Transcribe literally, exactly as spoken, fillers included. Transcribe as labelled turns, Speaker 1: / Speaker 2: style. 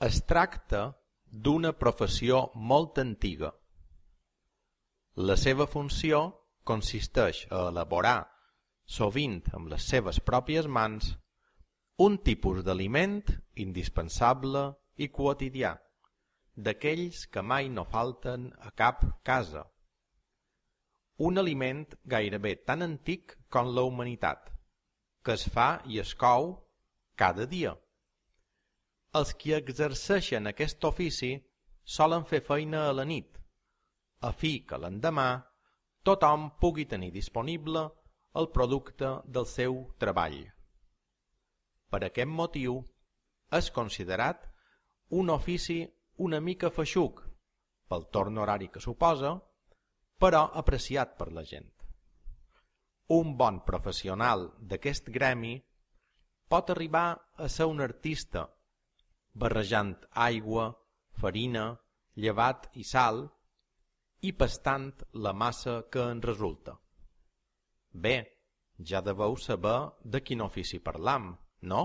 Speaker 1: Es tracta d'una professió molt antiga. La seva funció consisteix a elaborar, sovint amb les seves pròpies mans, un tipus d'aliment indispensable i quotidià, d'aquells que mai no falten a cap casa. Un aliment gairebé tan antic com la humanitat, que es fa i es cou cada dia. Els qui exerceixen aquest ofici solen fer feina a la nit, a fi que l'endemà tothom pugui tenir disponible el producte del seu treball. Per aquest motiu és considerat un ofici una mica feixuc pel torn horari que suposa, però apreciat per la gent. Un bon professional d'aquest gremi pot arribar a ser un artista, barrejant aigua, farina, llevat i sal i pastant la massa que en resulta. Bé, ja deveu saber de quin ofici parlam, no?